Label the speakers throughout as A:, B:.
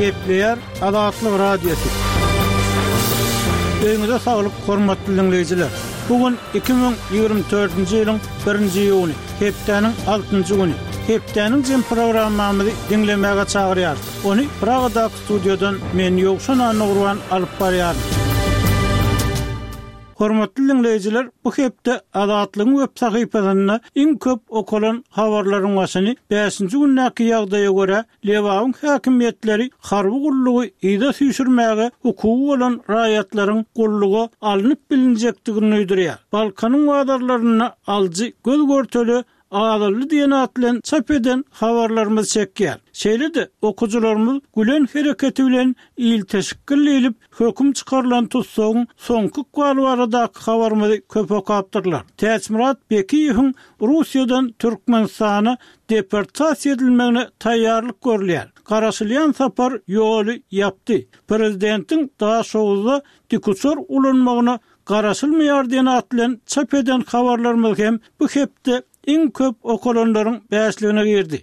A: Gepleýär Azatlyk Radiosy. Öýüňize saglyk, hormatly diňleýjiler! Bu gün 2024-nji ýylyň birinji iýuny, hepdäniň altynjy güni. Hepdäniň jem programmamyzy diňlemäge çagyrýarys. Ony Pragadaky studiýadan men Ýowşan Annagurban alyp barýaryn. Hormatly diňleýjiler, bu hepde Azatlygyň web sahypasynda iň köp okalan habarlaryň başyny bäşinji gündäki ýagdaýa görä, Lebabyň häkimiýetleri harby gullugy yza süýşürmäge hukugy bolan raýatlaryň gulluga alnyp bilinjekdigini duýdurýar. Balkanyň bazarlarynda alyjy göz-görtele azaldy diýen at bilen çap eden habarlarymyz çekýär. Şeýle-de, okyjylarymyz Gülen hereketi bilen ilteşikgil diýlip höküm çykarylan tussagyň soňky ykbaly baradaky habarymyzy köp okapdyrlar. Täçmyrat Bekiýewiň Russiýadan Türkmenistana deportasiýa edilmegine taýýarlyk görülýär. Garaşylýan sapar ýoly ýapdy. Prezidentiň Daşoguzda dikuçar ulanmagyna garaşylmaýar diýen at bilen çap eden habarlarymyz hem bu hepde iň köp okalanlaryň bäşligine girdi.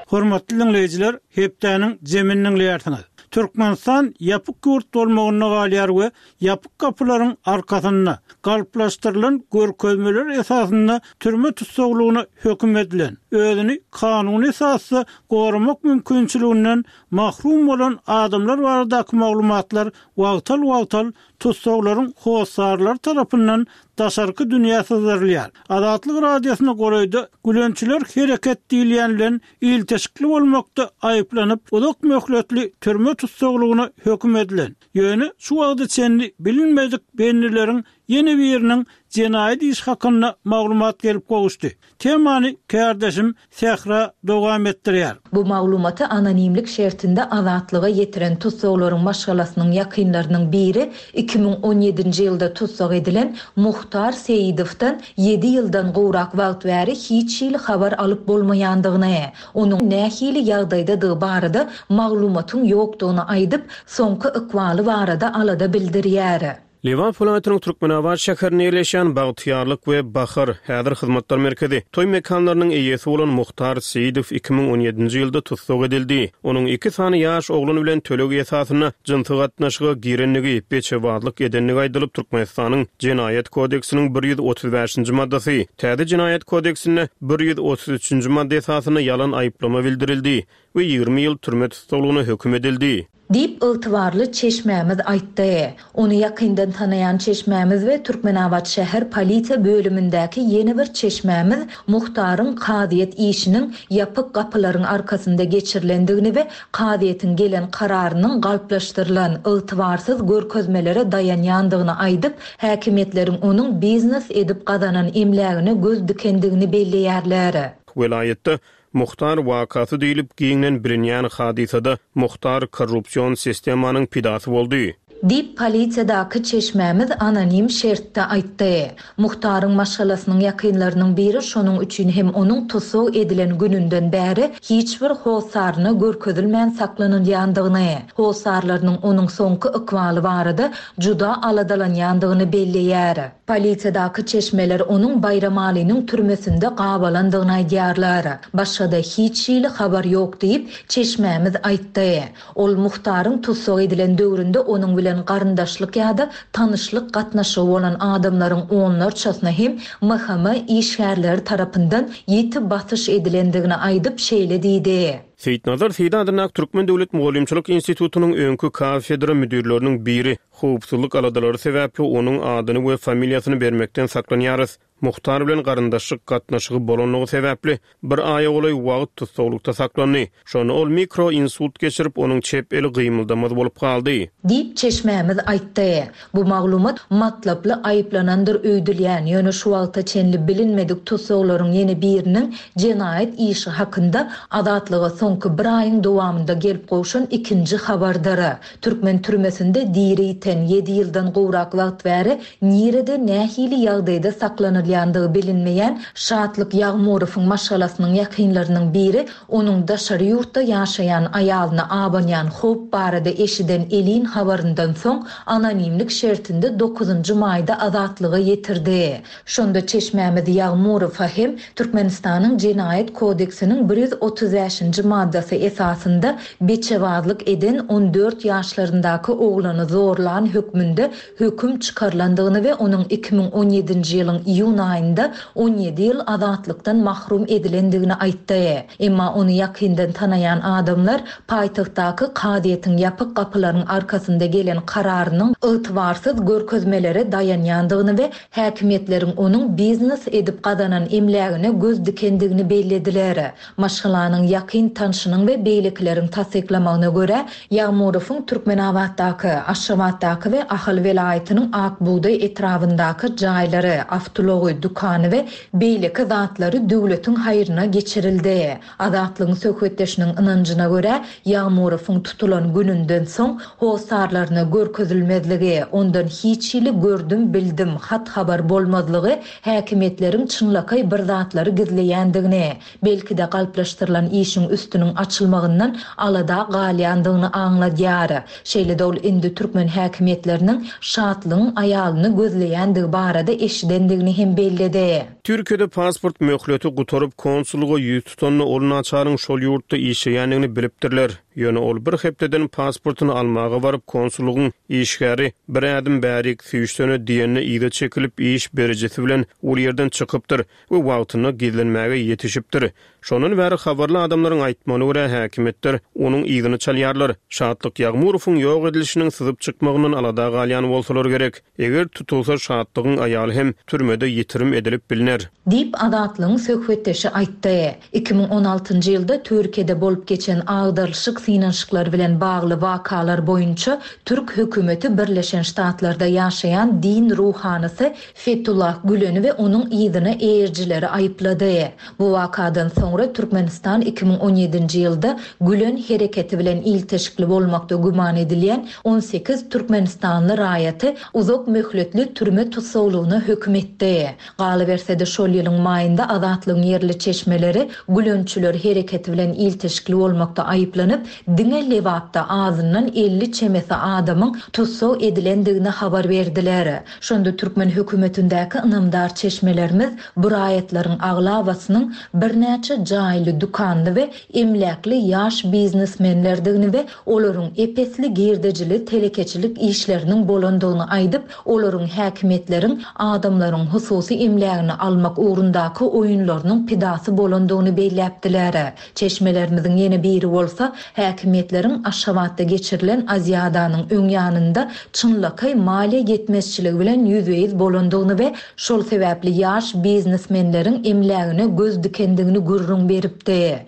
A: Hormatly diňleýjiler, hepdäniň jemini diňleýärsiňiz. Türkmenistan ýapyk ýurt bolmagynda galýar we ýapyk gapylaryň arkasynda, galplaşdyrylan görkezmeler esasynda türme tussaglygyna höküm edilen, özüni kanuny esasda goramak mümkinçiliginden mahrum bolan adamlar baradaky maglumatlar wagtal-wagtal tussaglaryň hossarlary tarapyndan daşarky dünýä syzdyrylýar. Azatlyk Radiosyna golaýda Gülençiler hereket diýilýän bilen ilteşikli bolmakda aýyplanyp, uzak möhletli türme tussaglygyna höküm edilen, ýöne şu wagta çenli bilinmedik bendileriň ýene biriniň jenaýat işi hakynda maglumat gelip gowuşdy. Temany kärdeşim Sähra dowam etdirýär.
B: Bu maglumaty anonimlik şertinde Azatlyga ýetiren tussaglaryň maşgalasynyň ýakynlarynyň biri 2017-nji ýylda tussag edilen Muhtar Seýidowdan ýedi ýyldan gowrak wagt bäri hiç hili habar alyp bolmaýandygyny, onuň nähili ýagdaýdadygy barada maglumatyň ýokdugyny aýdyp, soňky ykbaly barada alada bildirýär.
C: Lebap welaýatynyň Türkmenabat şäherinde ýerleşýän Bagtyýarlyk we Bahar, häzir hyzmatlar merkezi, toý mekanlarynyň eýesi bolan Muhtar Seýidow 2017-nji ýylda tussag edildi. Onuň iki sany ýaş oglan bilen töleg esasynda jynsy gatnaşyga girendigi, beçebazlyk edendigi aýdylyp, Türkmenistanyň Jenaýat kodeksiniň 135-nji maddasy, täze Jenaýat kodeksinde 133-nji madda esasynda ýalan aýyplama bildirildi we 20 ýyl türme tussaglygyna höküm edildi.
B: Diýip, ygtybarly çeşmämiz aýtdy. Ony ýakyndan tanaýan çeşmämiz we Türkmenabat şäher polisiýa bölümindäki ýene bir çeşmämiz Muhtaryň kazyýet işiniň ýapyk gapylaryň arkasynda geçirilendigini we kazyýetiň gelen kararynyň galplaşdyrylan, ygtybarsyz görkezmelere daýanýandygyny aýdyp, häkimiýetleriň onuň biznes edip gazanan emlägine göz dikendigini belleýärler.
C: Welaýatda Muhtar wakasy diýlip giňden bilinýän hadysada Muhtar korrupsion sistemanyň pidasy boldy.
B: Diýip, polisiýadaky çeşmämiz anonim şertde aýtdy. Muhtaryň maşgalasynyň ýakynlarynyň biri şonuň üçin hem onuň tussag edilen gününden bäri hiç bir hossaryna görkezilmän saklanylýandygyny, hossarlarynyň onuň soňky ykbaly barada juda aladalanýandygyny belleýär. Polisiýadaky çeşmeler onuň Baýramalynyň türmesinde gabalandygyny aýdýarlar. Başga-da hiç hili habar ýok diýip, çeşmämiz aýtdy. Ol Muhtaryň tussag edilen döwründe onuň bilen garyndaşlyk ýa-da tanyşlyk gatnaşygy bolan adamlaryň onlarçasyna hem MHM işgärleri tarapyndan ýiti basyş edilendigini aýdyp, şeýle diýdi.
C: Seýitnazar Seýdi adyndaky Türkmen döwlet mugallymçylyk institutynyň öňki kafedra müdirleriniň biri, Howpsuzlyk aladalary sebäpli onuň adyny we familiýasyny bermekden saklanýarys. Muhtar bilen garyndaşlyk gatnaşygy bolanlygy sebäpli bir aýa golaý wagt tussaglykda saklandy. Şonda ol mikro insult geçirip, onuň çep eli gymyldamaz bolup galdy.
B: Diýip, çeşmämiz aýtdy. Bu maglumat matlaply aýyplanandyr öýdülýän, ýöne şu wagta çenli bilinmedik tussaglaryň ýene biriniň jenaýat işi hakynda Azatlyga soňky bir aýyň dowamynda gelip gowşan ikinji habardyr. Türkmen türmesinde diri ýiten, ýedi ýyldan gowrak wagt bäri nirede, nähili ýagdaýda saklanylýan? saklanylýandygy bilinmeýän Şatlyk Ýagmurowyň maşgalasynyň ýakynlarynyň biri onuň daşary ýurtda ýaşaýan aýalyna abanýan howp barada eşiden elin habaryndan soň anonimlik şertinde dokuzynjy maýda Azatlyga ýetirdi. Şonda çeşmämiz Ýagmurowa hem Türkmenistanyň Jenaýat kodeksiniň 135-nji maddasy esasynda beçebazlyk eden 14 ýaşlaryndaky oglany zorlan hökmünde höküm çykarylandygyny we onuň 2017-nji ýylyň iýun aýynda 17 ýyl azatlykdan mahrum edilendigini aýtdy. Emma ony ýakyndan tanaýan adamlar paýtagtdaky kazyýetiň ýapyk gapylaryň arkasynda gelen kararynyň ygtybarsyz görkezmelere daýanýandygyny we Häkimiýetleriň onuň biznes edip gazanan emlägine göz dikendigini bellediler. Maşgalanyň ýakyn tanşynyň we beýlekileriň tassyklamagyna görä, Ýagmurowyň Türkmenabatdaky, Aşgabatdaky we Ahal welaýatynyň Ak bugdaý etrabyndaky jaýlary, awtoulagy, dükany we beýleki zatlary döwletiň haýryna geçirildi. Azatlygyň söhbetdeşiniň ynanjyna görä, Ýagmurowyň tutulan gününden soň hossarlaryna görkezilmezligi, ondan hiç hili gördüm-bildim, hat-habar bolmazlygy häkimiýetleriň çynlakaý bir zatlary gizleýändigini, belki-de galplaşdyrylan işiň üstüniň açylmagyndan alada galýandygyny aňladýar. Şeýle-de ol indi türkmen häkimiýetleriniň Şatlygyň aýalyny gözleýändigi barada eşidendigini hem belledi.
C: Türkiýede pasport möhleti gutaryp, konsullyga ýüz tutanda ol naçaryň şol ýurtda işleýändigini bilipdirler. Ýöne ol bir hepdeden pasportyny almaga baryp, konsullygyň işgäri bir ädim bärik süýşsene diýende yza çekilip, iş berijisi bilen ol ýerden çykypdyr we wagtynda gizlenmäge ýetişipdir. Şondan bäri habarly adamlaryň aýtmagyna görä, häkimiýetler onuň yzyny çalýarlar. Şatlyk Ýagmurowyň ýok edilişiniň syzyp çykmagyndan alada galýan bolsalar gerek. Eger tutulsa, Şatlygyň aýaly hem türmede ýitirim edilip bilner.
B: Diýip, Azatlygyň söhbetdeşi aýtdy. 2016-njy ýylda Türkiýede bolup geçen agdarylyşyk synanyşyklary bilen bagly wakalar boýunça türk hökümeti Birleşen Ştatlarda ýaşaýan din ruhanysy Fetullah Güleni we onuň yzyna eýerijileri aýyplady. Bu wakadan soňra Türkmenistan 2017-nji ýylda Gülen hereketi bilen ilteşikli bolmakda güman edilýän 18 türkmenistanly raýaty uzak möhletli türme tussaglygyna höküm etdi. Galyberse-de, şol ýylyň maýynda Azatlygyň ýerli çeşmeleri Gülençiler hereketi bilen ilteşikli bolmakda aýyplanyp, diňe Lebapda azyndan 50 çemesi adamyň tussag edilendigini habar berdiler. Şonda türkmen hökümetindäki ynamdar çeşmelerimiz bu raýatlaryň aglabasynyň birnäçe jaýly, dükanly we emläkli ýaş biznesmenlerdigini we olaryň ep-esli girdejili telekeçilik işleriniň bolandygyny aýdyp, olaryň häkimiýetleriň adamlaryň hususy emlägini almak ugrundaky oýunlarynyň pidasy bolandygyny belläpdiler. Çeşmelerimiziň ýene biri bolsa, häkimiýetleriň Aşgabatda geçirilen Aziadanyň öň ýanynda çynlakaý maliýe ýetmezçiligi bilen ýüzbe-ýüz bolandygyny we şol sebäpli ýaş biznesmenleriň emlägine göz dikendigini gürrüň beripdi.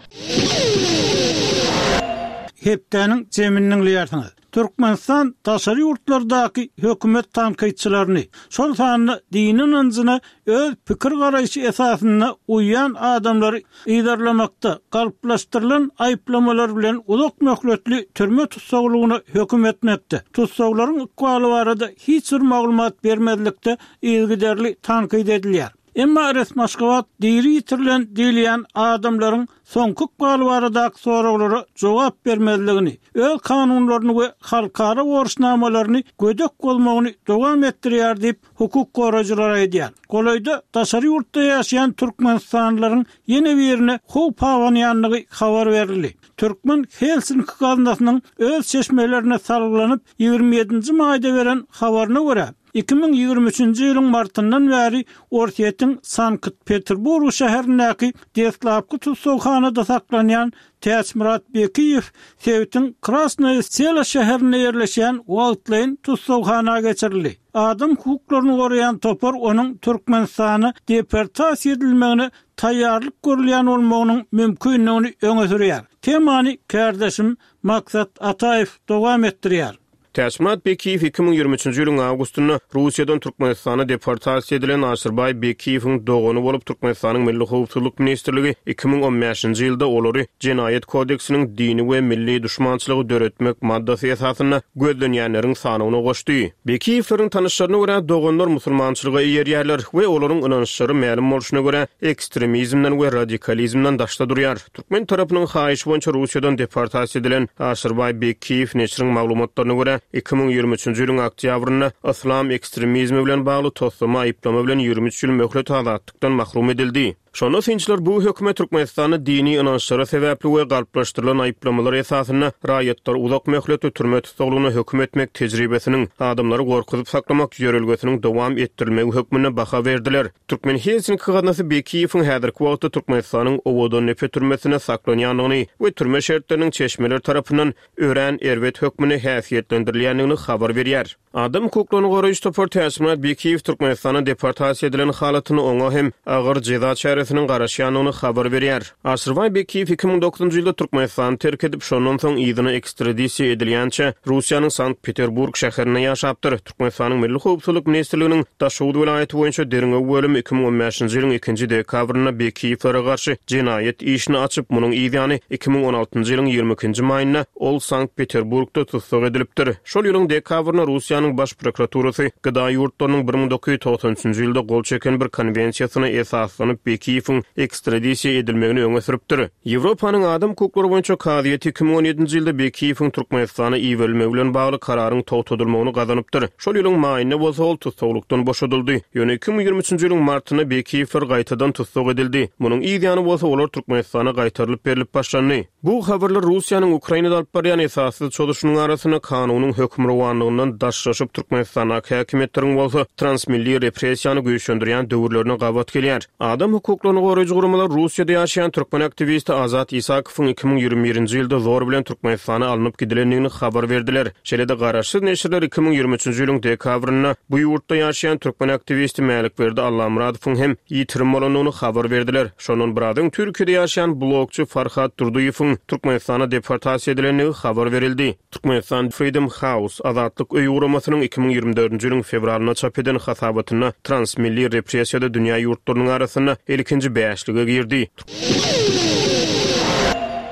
A: Hepdäniň jemini diňleýärsiňiz. Türkmenistan daşary ýurtlardaky hökümet tankytçylaryny, şol sanda dini ynanjyna öz pikir-garaýşy esasynda uýýan adamlary yzarlamakda galplaşdyrylan aýyplamalar bilen uzak möhletli türme tussaglygyna höküm etmekde, tussaglaryň ykbaly barada hiç bir maglumat bermezlikde yzygiderli tankyt edilýär. Emma resmi Aşgabat diri ýitirilen diýilýän adamlaryň soňky ykbaly baradaky soraglara jogap bermezligini, öz kanunlaryny we halkara borçnamalaryny gödek bozmagyny dowam etdirýär diýip, hukuk goraýjylar aýdýar. Golaýda daşary ýurtda ýaşaýan türkmenistanlylaryň ýene birine howp abanýandygy habar berildi. Türkmen Helsinki gaznasynyň öz çeşmelerine salgylanyp, 27-nji maýda beren habaryna görä, 2023-nji ýylyň martyndan bäri Orsýetiň Sankt-Peterburg şäherindäki deslapky tussaghanada saklanýan Täçmyrat Bekiýew sebitiň Krasnoýe Selo şäherinde ýerleşýän wagtlaýyn tussaghana geçirildi. Adam hukuklaryny goraýan topar onuň Türkmenistana deportasiýa edilmegine taýýarlyk görülýän bolmagynyň mümkindigini öňe sürýär. Temany kärdeşim Maksat Ataýew dowam etdirýär.
C: Täçmyrat Bekiýew 2023-nji ýylyň awgustynda Russiýadan Türkmenistana deportasiýa edilen Aşyrbaý Bekiýewiň dogany bolup, Türkmenistanyň Milli howpsuzlyk ministrligi 2015-nji ýylda olary Jenaýat kodeksiniň dini we milli duşmançylygy döretmek maddasy esasynda gözlenýänleriň sanawyna goşdy. Bekiýewleriň tanyşlaryna görä, doganlar musulmançylyga eýerýärler we olaryň ynançlary mälim bolşuna görä, ekstremizmden we radikalizmden daşda durýar. Türkmen tarapynyň haýyşy boýunça Russiýadan deportasiýa edilen Aşyrbaý Bekiýew neşiriň maglumatlaryna görä, 2023-nji ýylyň oktýabrynda yslam ekstremizmi bilen bagly toslama aýyplama bilen 23 ýyl möhlet azatlykdan mahrum edildi. Şonda synçylar bu höküme Türkmenistanda dini ynançlary sebäpli we galplaşdyrylan aýyplamalar esasynda raýatlary uzak möhletli türme tussaglygyna höküm etmek tejribesiniň, adamlary gorkuzyp saklamak ýörelgesiniň dowam etdirilmegi hökmünde baha berdiler. Türkmen Helsinki gaznasy Bekiýewiň häzirki wagtda Türkmenistanyň Owadandepe türmesinde saklanýandygyny we türme şertleriniň çeşmeler tarapyndan örän erbet hökmünde häsiýetlendirilýändigini habar berýär. Adam hukuklaryny goraýjy topar Täçmyrat Bekiýew Türkmenistana deportasiýa edilen halatynda oňa hem agyr jeza çäresiniň garaşýandygyny habar berýär. Aşyrbaý Bekiýew 2009-njy ýylda Türkmenistany terk edip, şondan soň yzyna ekstradisiýa edilýänçä Russiýanyň Sankt-Peterburg şäherinde ýaşapdyr. Türkmenistanyň Milli howpsuzlyk ministrliginiň Daşoguz welaýaty boýunça derňew bölümi 2015-nji ýylyň ikinji dekabrynda Bekiýewlere garşy jenaýat işini açyp, munuň yzýany 2016-njy ýylyň 22-nji maýynda ol Sankt-Peterburgda tussag edilipdir. Şol ýylyň dekabrynda Russiýanyň Baş prokuraturasy GDA ýurtlarynyň 1993-nji ýylda gol çeken bir konwensiýasyna esaslanyp Bekiýewiň ekstradisiýa edilmegini öňe sürüpdir. Ýewropanyň Adam hukuklary boýunça kazyýeti 2017-nji ýylda Bekiýewiň Türkmenistana iberilmegi bilen bagly kararyň togtadylmagyny gazanypdyr. Şol ýylyň maýynda bolsa ol tussaglykdan boşadyldy. Ýöne 2023-nji ýylyň martynda Bekiýewler gaýtadan tussag edildi. Munuň yz ýany bolsa olar Türkmenistana gaýtarylyp berlip başlandy. Bu habarlar Russiýanyň Ukrainada alyp barýan esassyz çozuşynyň arasynda kanunyň hökmürowanlygyndan daşlaşyp, Türkmenistandaky häkimiýetleriň bolsa transmilli repressiýany güýçlendirýän döwürlerine gabat gelýär. Adam hukuklaryny goraýjy guramalar Russiýada ýaşaýan türkmen aktiwisti Azat Isakowyň 2021-nji ýylda zor bilen Türkmenistana alnyp gidilendigini habar berdiler. Şeýle-de garaşsyz neşirler 2023-nji ýylyň dekabrynda bu ýurtda ýaşaýan türkmen aktiwisti Mälikberdi Allamyradowyň hem ýitirim bolandygyny habar berdiler. Şondan biraz öň Türkiýede ýaşaýan blogçy Farhat Durdyýewiň Türkmenistana deportasiýa edilendigi habar berildi. Türkmenistan Freedom House, Azatlyk öýi guramasynyň 2024-nji ýylyň fewralynda çap eden hasabatynda transmilli repressiýada dünýä ýurtlarynyň arasynda ilkinji bäşlige girdi.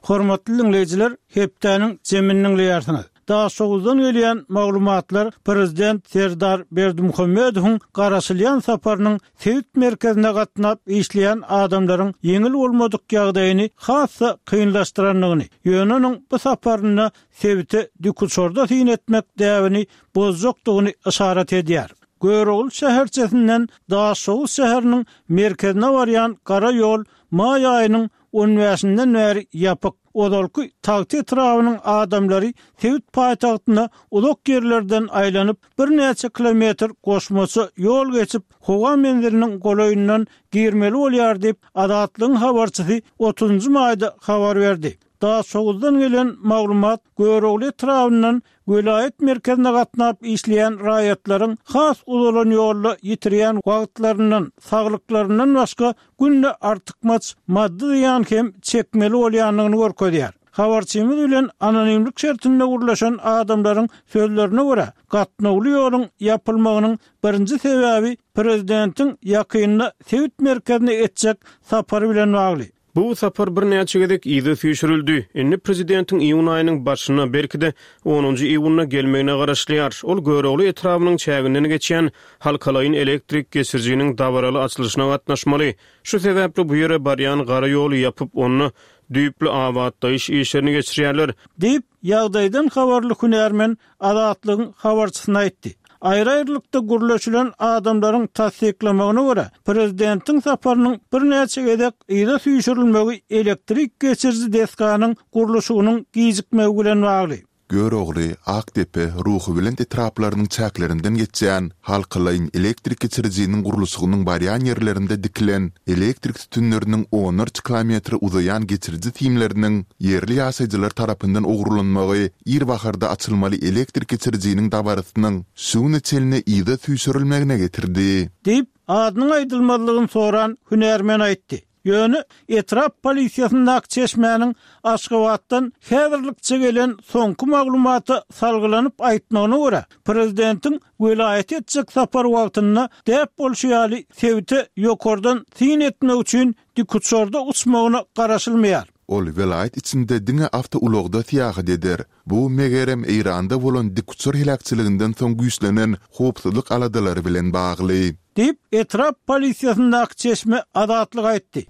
A: Hormatly diňleýjiler, hepdäniň jemini diňleýärsiňiz. Daşoguzdan gelýän maglumatlar prezident Serdar Berdimuhamedowyň garaşylýan saparynyň sebit merkezine gatnap işleýän adamlaryň ýeňil bolmadyk ýagdaýyny has-da kynlaşdyrandygyny, ýöne onuň bu saparynda sebite dikuçarda syn etmek däbini bozjakdygyny yşarat edýär. Görogly şäherçesinden Daşoguz şäheriniň merkezine barýan gara ýol maý aýynyň on bäşinden bäri ýapyk. Ozalky Tagta etrabynyň adamlary sebit paýtagtyna uzak ýerlerden aýlanyp, birnäçe kilometr goşmaça ýol geçip, howa menziliniň golaýyndan girmeli bolýar diýip, Azatlygyň habarçysy otuzynjy maýda habar berdi. Daşoguzdan gelen maglumat Görogly etrabyndan Welaýat merkezine gatnap işleýän raýatlaryň has uzalan ýolda ýitirýän wagtlaryndan, saglyklaryndan başga günde artykmaç maddy zyýan hem çekmeli bolýandygyny görkezýär. Habarçymyz bilen anonimlik şertinde gürleşen adamlaryň sözlerine görä, gatnawly ýoluň ýapylmagynyň birinji sebäbi prezidentiň ýakynda sebit merkezine etjek sapary bilen bagly.
C: Bu sapar birnäçe gezek yza süýşürildi. Indi prezidentiň iýun aýynyň başynda, belki-de, onunjy iýunda gelmegine garaşylýar. Ol Görogly etrabynyň çäginden geçýän halkalaýyn elektrik geçirijiniň dabaraly açylyşyna gatnaşmaly. Şu sebäpli bu ýere barýan gara ýoly ýapyp, onda düýpli abatlaýyş işlerini geçirýärler.
A: Diýip, ýagdaýdan habarly hünärmen Azatlygyň habarçysyna aýtdy. Aýry-aýrylykda gürleşilen adamlaryň tassyklamagyna görä, prezidentiň saparynyň birnäçe gezek yza süýşürilmegi elektrik geçiriji desganyň gurluşygynyň gijikmegi bilen bagly.
D: Görogly, Akdepe, Ruhubelent etraplarynyň çäklerinden geçýän halkalaýyn elektrik geçirijiniň gurluşygynyň barýan ýerlerinde dikilen elektrik sütünleriniň onlarça kilometre uzaýan geçiriji simleriniň ýerli ýaşaýjylar tarapyndan ogurlanmagy ir baharda açylmaly elektrik geçirijiniň dabarasynyň şu güne çenli yza süýşürilmegine getirdi.
A: Diýip, adynyň aýdylmazlygyny soran hünärmen aýtdy. Ýöne etrap polisiýasyndaky çeşmäniň Aşgabatdan häzirlikçe gelen soňky maglumata salgylanyp aýtmagyna görä, prezidentiň welaýata etjek sapary wagtynda däp bolşy ýaly sebite ýokardan syn etmek üçin dikuçarda uçmagyna garaşylmaýar.
D: Ol welaýat içinde diňe awtoulagda syýahat eder. Bu, megerem, Eýranda bolan dikuçar heläkçiliginden soň güýçlenen howpsuzlyk aladalary bilen bagly.
A: Diýip, etrap polisiýasyndaky çeşme Azatlyga aýtdy.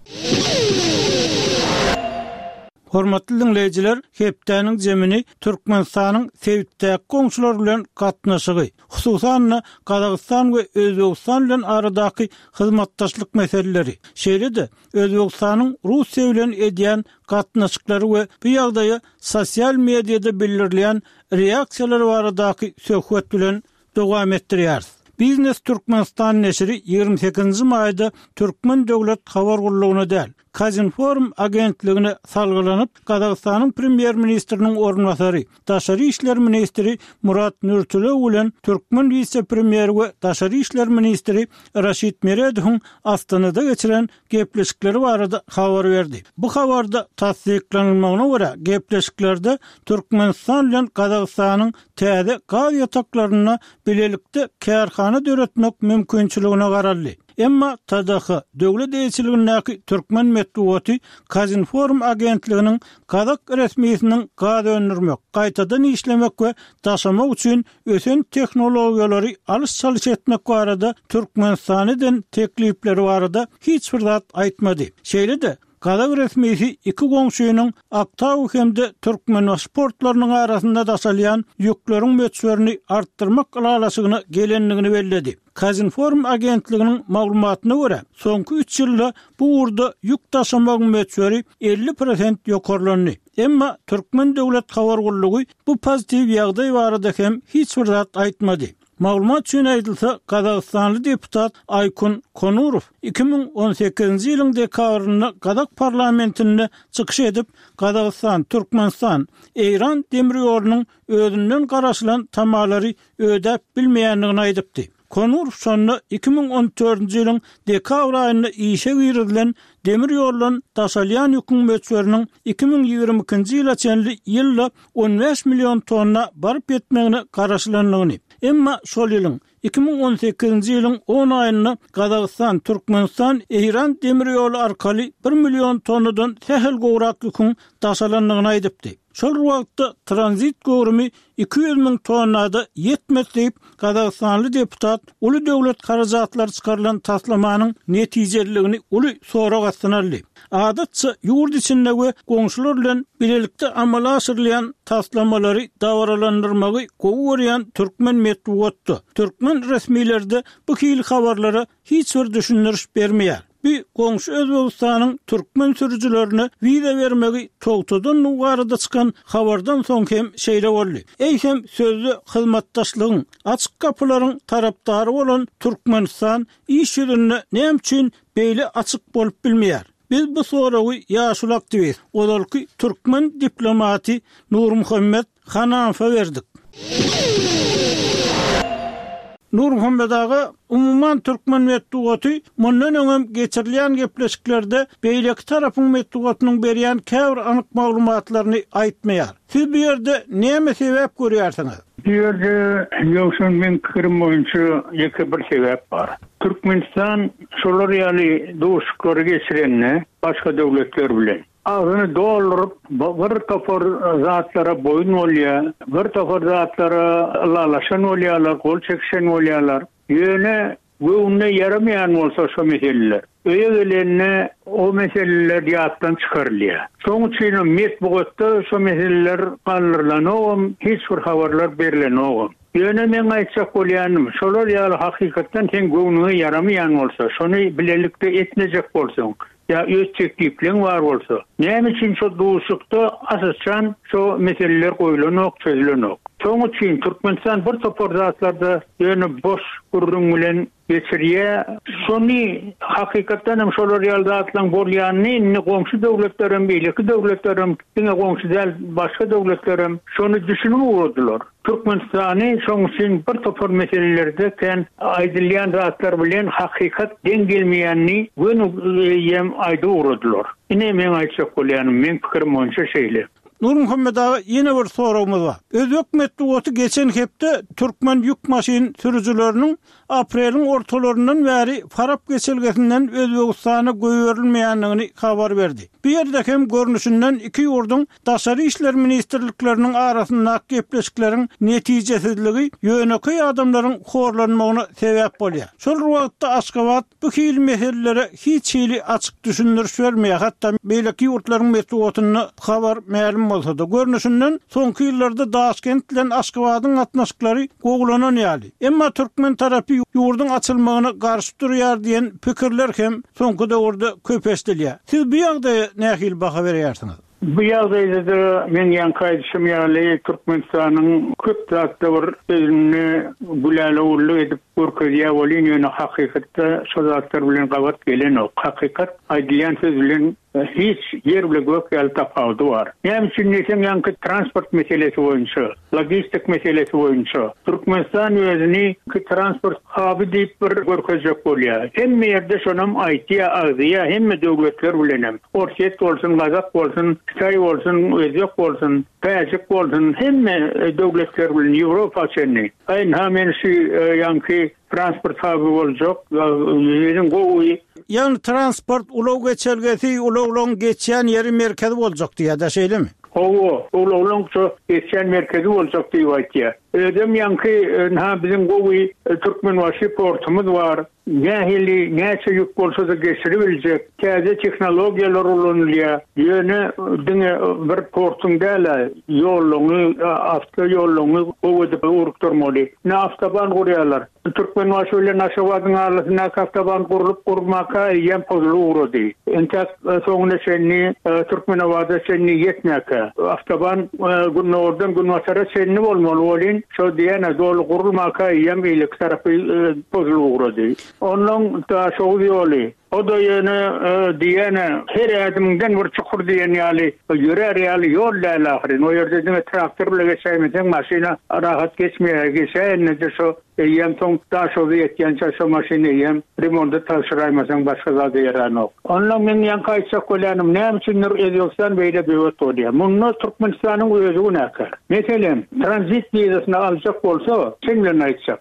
A: Hormatly diňleýjiler, hepdäniň jemini Türkmenistanyň sebitdäki goňşular bilen gatnaşygy, hususan-da, Gazagystan we Özbegistan bilen aradaky hyzmatdaşlyk meseleleri, şeýle-de Özbegistanyň Russiýa bilen edýän gatnaşyklary we bu ýagdaýa sosial mediada bildirilýän reaksiýalar baradaky söhbet bilen dowam etdirýäris. Biznes Türkmenistan neşiri 28-nji maýda Türkmen döwlet habar gullugyna däl, Kazinform agentligine salgylanyp, Gazagystanyň premýer-ministriniň orunbasary, daşary işler ministri Murat Nurtulew bilen türkmen wise-premýeri we daşary işler ministri Raşid Meredowyň Astanada geçiren gepleşikleri barada habar berdi. Bu habarda tassyklanylmagyna görä, gepleşiklerde Türkmenistan bilen Gazagystanyň täze gaz ýataklarynda bilelikde kärhana döretmek mümkinçiligine garaldy. Emma TDH döwlet eýeçiligindäki türkmen metbugaty Kazinform agentliginiň gazak resmisiniň gaz öndürmek, gaýtadan işlemek we daşamak üçin ösen tehnologiýalary alyş-çalyş etmek barada Türkmenistana eden teklipleri barada hiç bir zat aýtmady. Şeýle-de, gazak resmisi iki goňşynyň Aktau hem-de Türkmenbaşy portlarynyň arasynda daşalýan ýükleriň möçberini artdyrmak ylalaşygyna gelendigini belledi. Kazinform agentliginiň maglumatyna görä, soňky üç ýylda bu ugurda ýük daşamagyň möçberi 50 prosent ýokarlandy. Emma Türkmen döwlet habar gullugy bu pozitiw ýagdaý barada hem hiç bir zat aýtmady. Maglumat üçin aýdylsa, gazagystanly deputat Aýkun Konurow 2018-nji ýylyň dekabrynda gazak parlamentinde çykyş edip, Gazagystan, Türkmenistan, Eýran demir ýolunyň özünden garaşylan tamalary ödäp bilmeýändigini aýdypdy. Konurow şonda 2014-nji ýylyň dekabr aýynda işe girizilen demir ýoldan daşalýan ýüküň möçberiniň 2022-nji ýyla çenli ýylda 15 million tonna baryp ýetmegine garaşylandygyny, emma şol ýylyň, 2018-nji ýylyň on aýynda Gazagystan, Türkmenistan, Eýran demir ýoly arkaly bir million tonnadan sähel gowrak ýüküň daşalandygyny aýdypdy. Şol bir wagtda tranzit göwrümi 200 müň tonna-da ýetmez diýip, gazagystanly deputat uly döwlet harajatlary çykarylan taslamanyň netijeliligini uly sorag astyna aldy. Adatça, ýurt içinde we goňşular bilen bilelikde amala aşyrylýan taslamalary dabaralandyrmagy gowy görýän türkmen metbugatda, türkmen resmileri-de bu hili habarlara hiç bir düşündiriş bermeýär. Bu goňşy Özbegistanyň türkmen sürüjilerine wiza bermegi togtadandygy barada çykan habardan soň hem şeýle boldy. Eýsem, sözde hyzmatdaşlygyň, açyk gapylaryň tarapdary bolan Türkmenistan iş ýüzünde näme üçin beýle açyk bolup bilmeýär? Biz bu soragy ýaşuly aktiwist, ozalky türkmen diplomaty Nurmuhammet Hanamowa berdik. Nurmuhammet aga, umuman türkmen metbugaty mundan öňem geçirilýän gepleşiklerde beýleki tarapyň metbugatynyň berýän käbir anyk maglumatlaryny aýtmaýar. Siz bu ýerde näme sebäp görýärsiňiz?
E: Bu ýerde Ýowşan meň pikirim boýunça ýeke bir sebäp bar. Türkmenistan şolar ýaly duşuşyklary geçirende başga döwletler bilen, Agzyny dolduryp, bir topar zatlara boýun bolýar, bir topar zatlara ylalaşan bolýarlar, gol çekişen bolýarlar. Ýöne göwnüne ýaramaýan bolsa şo meseleler, öýe gelende o meseleler ýatdan çykarylýar. Şoň üçinem metbugatda şo meseleler galdyrylanogam, hiç bir habarlar berlenogam. Ýöne meň aýtjak bolýanym, şolar ýaly hakykatdan seň göwnüňe ýaramaýan bolsa, şony bilelikde etmejek bolsaň, Ýa öz teklipleň bar bolsa, näme üçin şo duşuşykda asyçan şo meseleler goýlanok, çözülenok? Şoň üçin Türkmenistan bir topar zatlarda ýöne boş gürrüň bilen. Geçirýär. Şony hakykatdan hem şolar ýaly zatlaryň bolýanyny indi goňşy döwletlerem, beýleki döwletlerem, diňe goňşy däl, başga döwletlerem şony düşünip ugradylar. Türkmenistany şoň üçin bir topar meselelerde kän aýdylýan zatlar bilen hakykat deň gelmeýänini göni eýýäm aýdyp ugradylar. Ine meň aýtjak bolýanym, meň pikirim boýunça şeýle.
A: Nurmuhammet aga ýene bir soragymyz bar. Özbek metbugaty geçen hepde türkmen ýük maşyn sürüjileriniň apreliň ortalaryndan bäri Farap geçelgesinden Özbegistana goýberilmeýändigini habar berdi. Bu ýerde hem görnüşinden iki ýurduň Daşary işler ministrlikleriniň arasyndaky gepleşikleriň netijesizligi ýönekeý adamlaryň horlanmagyna sebäp bolýar. Şol bir wagtda Aşgabat bu hili meselelere hiç hili açyk düşündiriş bermeýär, hatda beýleki ýurtlaryň metbugatynda habar mälim bolsa-da. Görnüşinden, soňky ýyllarda Daşkent bilen Aşgabadyň gatnaşyklary gowulanan ýaly. Emma türkmen tarapy ýurduň açylmagyna garşy durýar diýen pikirler hem soňky döwürde köp eşidilýär. Siz bu ýagdaýa nähili baha berýärsiňiz?
E: Bu ýagdaýda-da meň ýaňky aýdyşym ýaly Türkmenistanyň köp zatda bir özüni gülälewürlik edip görkezýär welin ýöne hakykatda şo zatlar bilen gabat gelenok. Hakykat aýdylýan söz bilen hiç ýer bile gök ýaly tapawudy bar. Näme üçin diýseň ýaňky transport meselesi boýunça Logistik meselesi boýunça Türkmenistan özüni transport haby diýip bir görkezjek bolýar. Hemme ýerde şonam aýtýar, agzaýar, hemme döwletler bilenem. Orsýet bolsun, gazak bolsun, hytaý bolsun, özbek bolsun, täjik bolsun, hemme döwletler bilen Ýewropa çenli. Aý ynha men şu ýaňky transport haby boljak, biziň gowy.
A: Ýagny transport ulag geçelgesi, ulaglaryň geçýän ýeri merkezi boljak diýýär-dä, şeýlemi?
E: Hawa, ulaglaryň şo geçýän merkezi boljak diýip aýtýar. Özem ýaňky ynha biziň gowy Türkmenbaşy portumyz bar. Nähili, näçe ýük bolsa-da geçiribiljek. Täze tehnologiýalar ulanylýar. Ýöne diňe bir portuň däl-ä, ýollaryňy, awtoýollaryňy gowy edip ugrukdyrmaly. Ine awtoban gurýarlar. Türkmenbaşy bilen Aşgabadyň arasyndaky awtoban gurlup gurulmaka eýýäm pozulyp ugrady. Entäk soňuna çenli Türkmenabada çenli ýetmäkä. Awtoban gündogardan günbatara çenli bolmaly welin, şo diýýän-ä doly gurulmaka eýýäm beýleki tarapy pozulyp ugrady. Onnoň Daşoguz ýoly, o-da ýöne diýýän-ä her ädimiňden bir çukur diýen ýaly ýörär ýaly ýol däl ahyryn. O ýerde diňe traktor bile geçäýmeseň maşyna rahat geçmeýär. Geçäýende-de şo Eýýäm soň Daşoguza ýetýänçä şo maşyny eýýäm remonta tabşyraýmasaň başga zada ýaranok. Onda meň ýaňky aýtjak bolýanym näme üçindir Özbegistan beýle böwet bolýar. Munda Türkmenistanyň özi günäkär. Meselem, tranzit wizasyny aljak bolsa, çyn bilen aýtjak,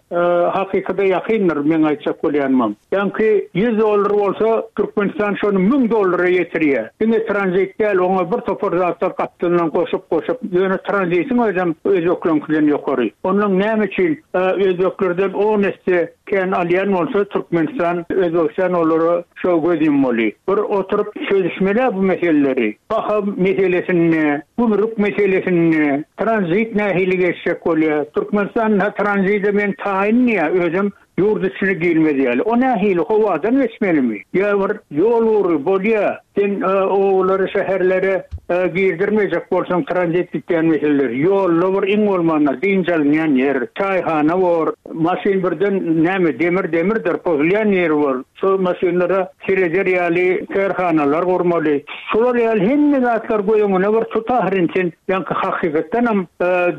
E: hakykada ýakyndyr meň aýtjak bolýanymam. Ýaňky 100 dollar bolsa, Türkmenistan şony 1000 dollara ýetirýär. Diňe tranzit däl, oňa bir topar zatlar gapdalyndan goşup-goşup, ýöne tranzitiň özem özbekleňkiden ýokary. Onnoň näme üçin özbeklerden on esse kän alýan bolsa, Türkmenistan, Özbegistan olara şo göz ýummaly. Bir oturyp çözüşmeli-ä bu meseleleri. Baha meselesinde, gümrük meselesinde, tranzit nähili geçjek bolýar. Türkmenistan tranzide men taýyn diýýär, özem Ýurt içine girmez ýaly. O nähili, howadan geçmelimi? Ýa bir ýol ugry, bolýa, sen obalara, şäherlere girdirmejek bolsaň tranzit gitýän meseleler. Ýolda bir iň bolmanda dynç alynýan ýer, çaýhana bor, maşyn birden näme, demir demirdir, pozulýan ýeri bor. Şol maşynlara sereder ýaly kärhanalar gurmaly. Şular ýaly hemme zatlar göz öňüne bir tut ahyryn sen ýaňky hakykatdanam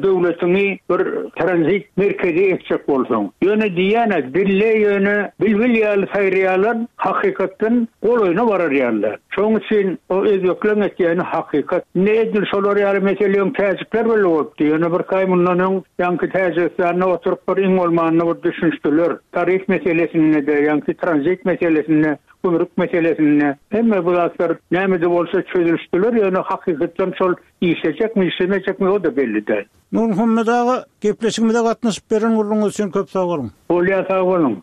E: döwletiňi bir tranzit merkezi etjek bolsaň. Ýöne diýýän-ä dille ýöne bilbil ýaly saýraýarlar hakykatdan golaýyna barar ýalylar. Şoň üçin o özbekleň etýäni hakykat. Indi edil şolar ýaly mesele öň täjikler bile bolupdy. Ýöne birki aý mundan öň ýaňky Täjigistanda oturyp bir iň bolmanda bir düşünişdiler. Tarif meselesinde-de, ýaňky tranzit meselesinde Gümrük meselesinde hemme bu zatlar näme-de bolsa çözülişdiler, ýöne hakykatdan şol işlejekmi, işlemejekmi o-da belli däl.
A: Nurmuhammet aga, gepleşigimize gatnaşyp beren gürrüňiňiz üçin köp sag boluň.
E: Bolýar sag boluň.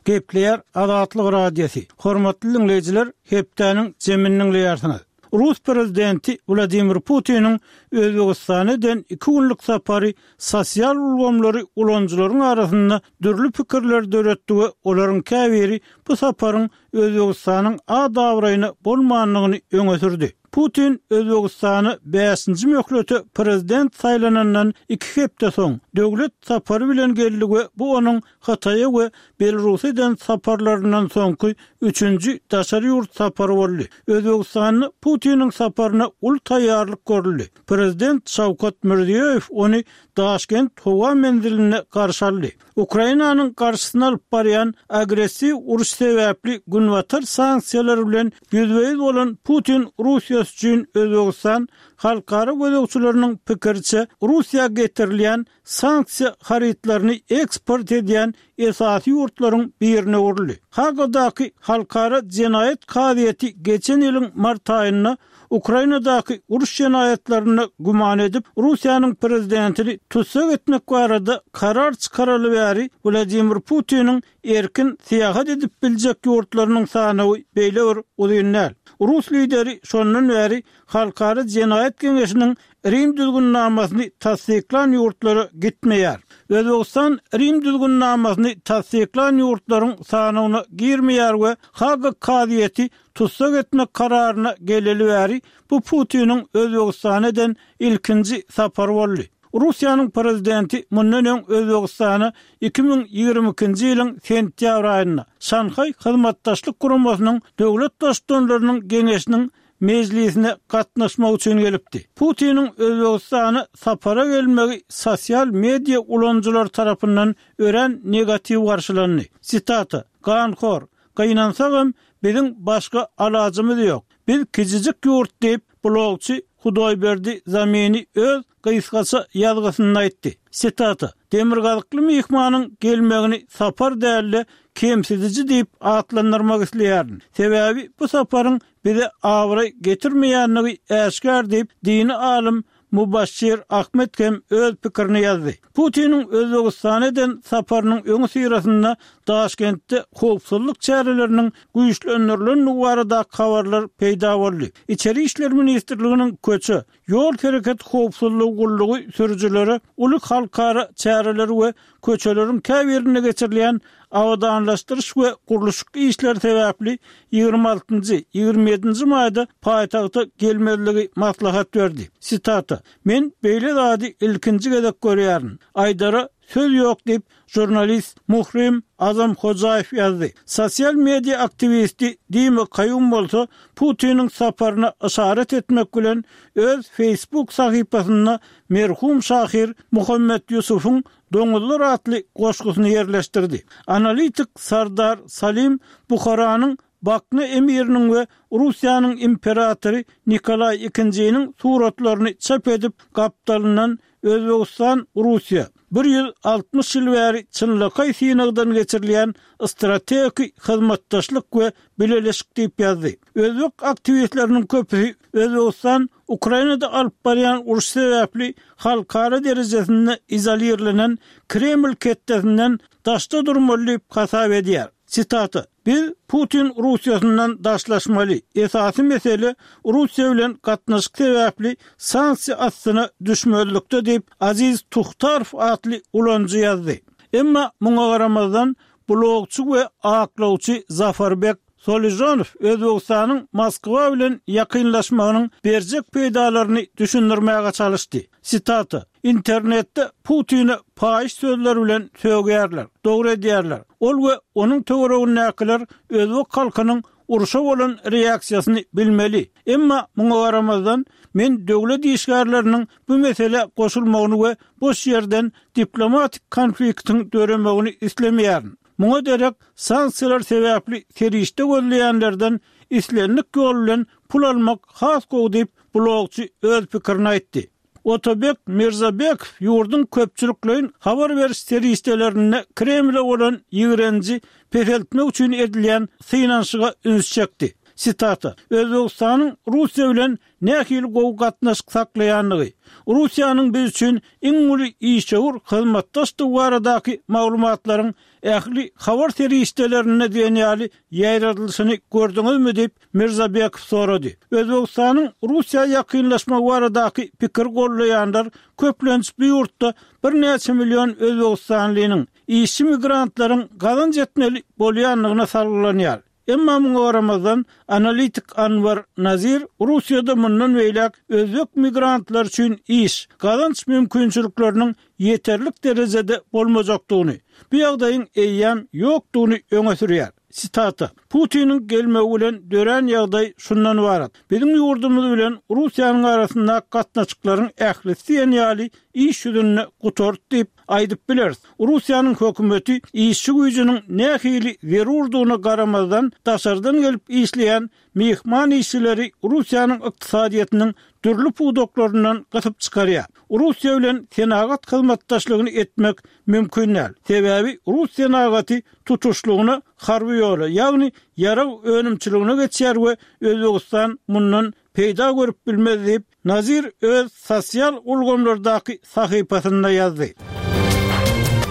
A: Gepleýär Azatlyk Radiosy. Hormatly diňleýjiler, hepdäniň jemini diňleýärsiňiz. Rus prezidenti Wladimir Putiniň Özbegistana eden iki günlük sapary sosial ulgamlary ulanyjylaryň arasynda dürli pikirleri döretdi we olaryň käbiri bu saparyň Özbegistanyň at-abraýyna bolmandygyny öňe sürdi. Putin Özbegistana bäşinji möhlete prezident saýlanandan iki hepde soň, döwlet sapary bilen geldi we bu onuň Hytaýa we Belarusa eden saparlaryndan soňky üçünji daşary ýurt sapary boldy. Özbegistanda Putiniň saparyna uly taýýarlyk görüldi. Prezident Şawkat Mirziýoýew ony Daşkent howa menzilinde garşy aldy. Ukrainanyň garşysyna alyp barýan agressiw uruş sebäpli Günbatar sanksiýalary bilen ýüzbe-ýüz bolan Putin Russiýasy üçin Özbegistan halkara gözegçileriniň pikiriçe Russiýa getirilýän sanksiýa harytlaryny eksport edýän esasy ýurtlaryň birine öwrüldi. Hagadaky Halkara jenaýat kazyýeti geçen ýylyň mart aýynda Ukrainadaky uruş jenaýatlarynda güman edip, Russiýanyň prezidentini tussag etmek barada karar çykaraly bäri Wladimir Putiniň erkin syýahat edip biljek ýurtlarynyň sanawy beýle bir uzyn däl. Rus lideri şondan bäri Halkara jenaýat geňeşiniň Rim düzgünnamasyny tassyklan ýurtlara gitmeýär. Özbegistan Rim düzgünnamasyny tassyklan ýurtlaryň sanawyna girmeýär we Haga kazyýeti tussag etmek kararyna geleli bäri bu Putiniň Özbegistana eden ilkinji sapary boldy. Russiýanyň prezidenti mundan öň Özbegistana 2022-nji ýylyň sentýabr aýynda Şanhaý Hyzmatdaşlyk Guramasynyň Döwlet Baştutanlarynyň Geňeşiniň mejlisine gatnaşmak üçin gelipdi. Putiniň Özbegistana sapara gelmegi sosial media ulanyjylary tarapyndan örän negatiw garşylandy. Sitata, Ganhor, Gynansagam, biziň başga alajymyz ýok. Biz kijijik ýurt diýip, blogçy Hudoýberdi Zamini öz gysgaça ýazgysynda aýtdy. Sitata, Demirgazykly myhmanyň gelmegini sapar däl-de, kemsidiji diýip atlandyrmak isleýärin. Sebäbi bu saparyň bize abraý getirmeýändigi äşgär diýip, dini alym Mubaşşir Ahmed hem öz pikirini ýazdy. Putiniň Özbegistana eden saparynyň öňüsyrasynda Daşkentde howpsuzlyk çäreleriniň güýçlendirilendigi baradaky habarlar peýda boldy. Içeri işler ministrliginiň köçe, Ýol hereketi howpsuzlygy gullugy sürüjilere uly halkara çäreleri we köçeleriň käbirinde geçirilýän abadanlaşdyryş we gurluşyk işleri sebäpli 26-njy, 27-nji maýda paýtagta gelmezligi maslahat berdi. Sitata, Men beýle zady ilkinji gezek görýärin. Aýdara söz ýok diýip, Žurnalist Muhrim Azamhojaýew ýazdy. Sosial media aktiwisti Dima Kaýum bolsa Putiniň saparyna yşarat etmek bilen öz Facebook sahypasynda merhum şahyr Muhammet Ýusubyň Doňuzlar atly goşgusyny ýerleşdirdi. Analitik Sardar Salim Buharanyň Bakna emiriniň we Russiýanyň imperatory Nikolaý II-niň suratlaryny çap edip, gapdalyndan Özbegistan, Russiýa, 160 ýyl bäri çynlakaý synagdan geçirilýän strategik hyzmatdaşlyk we bileleşik diýip ýazdy. Özbek aktiwistleriniň köpüsi Özbegistan Ukrainada alyp barýan urşy sebäpli halkara derejesinde izolirlenen Kreml ketdesinden daşda durmaly diýip hasap edýär. Sitata, Biz Putin Russiýasyndan daşlaşmaly. Esasy mesele Russiýa bilen gatnaşyk sebäpli sanksiýa astyna düşmezlikde diýip, Aziz Tuhtarow atly ulanyjy ýazdy. Emma muňa garamazdan, blogçy we aklawçy Zafarbek Soližonow Özbegistanyň Moskwa bilen ýakynlaşmagynyň berjek peýdalaryny düşündirmäge çalyşdy. Sitata, Internetde Putine paýyş sözler bilen sögýärler. Dogry edýärler. Ol we onuň töweregindäkiler özbek halkynyň urşa bolan reaksiýasyny bilmeli. Emma muňa garamazdan, men döwlet işgärleriniň bu meselä goşulmagyny we boş ýerden diplomatik konfliktiň döremegini islemeýärin. Muňa derek sanksiýalar sebäpli serişde gözleýänlerden islendik ýol bilen pul almak has gowy diýip, blogçy öz pikirini aýtdy. Otabek Mirzabekow ýurduň köpçülikleýin habar beriş serişdelerinde Kremle bolan ýigrenji peseltmek üçin edilýän synanyşyga üns çekdi. Sitata, Özbegistanyň Russiýa bilen nähili gowy gatnaşyk saklaýandygy, Russiýanyň biz üçin iň uly işewür hyzmatdaşdygy baradaky maglumatlaryň ähli habar serişdelerinde diýen ýaly ýaýradylyşyny gördüňizmi diýip, Mirzabekow sorady. Özbegistanyň Russiýa ýakynlaşmagy baradaky pikiri goldaýanlar köplenç bu ýurtda birnäçe million özbegistanlynyň, işçi migrantlaryň gazanç etmeli bolýandygyna salgylanýar. Emma muňa garamazdan, analitik Anwar Nazir Russiýada mundan beýläk özbek migrantlary üçin iş, gazanç mümkinçilikleriniň ýeterlik derejede bolmajakdygyny, bu ýagdaýyň eýýäm ýokdugyny öňe sürýär. Sitata, Putiniň gelmegi bilen dörän ýagdaý şundan ybarat, biziň ýurdumyz bilen Russiýanyň arasyndaky gatnaşyklaryň ählisi diýen ýaly iş ýüzünde gutardy diýip aýdyp bileris. Russiýanyň hökümeti işçi güýjüniň nähili zerurdygyna garamazdan, daşardan gelip işleýän myhman işçileri Russiýanyň ykdysadyýetiniň dürli pudaklaryndan gysyp çykarýar. Russiýa bilen senagat hyzmatdaşlygyny etmek mümkin däl. Sebäbi rus senagaty tutuşlygyna harby ýola, ýagny ýarag önümçiligine geçýär we Özbegistan mundan peýda görüp bilmez diýip, Nazir öz sosial ulgamlardaky sahypasynda ýazdy.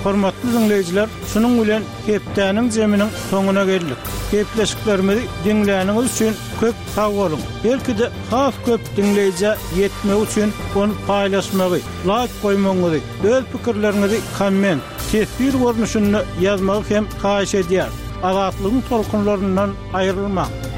A: Hormatly diňleýjiler, şunuň bilen hepdäniň jeminiň soňuna geldik. Gepleşiklerimizi diňläniňiz üçin köp sag boluň! Belki-de has köp diňleýjä ýetmegi üçin ony paýlaşmagy, laýk goýmagyňyzy, öz pikirleriňizi komment, teswir görnüşinde ýazmagy hem haýyş edýäris. Azatlygyň tolkunlaryndan aýrylmaň!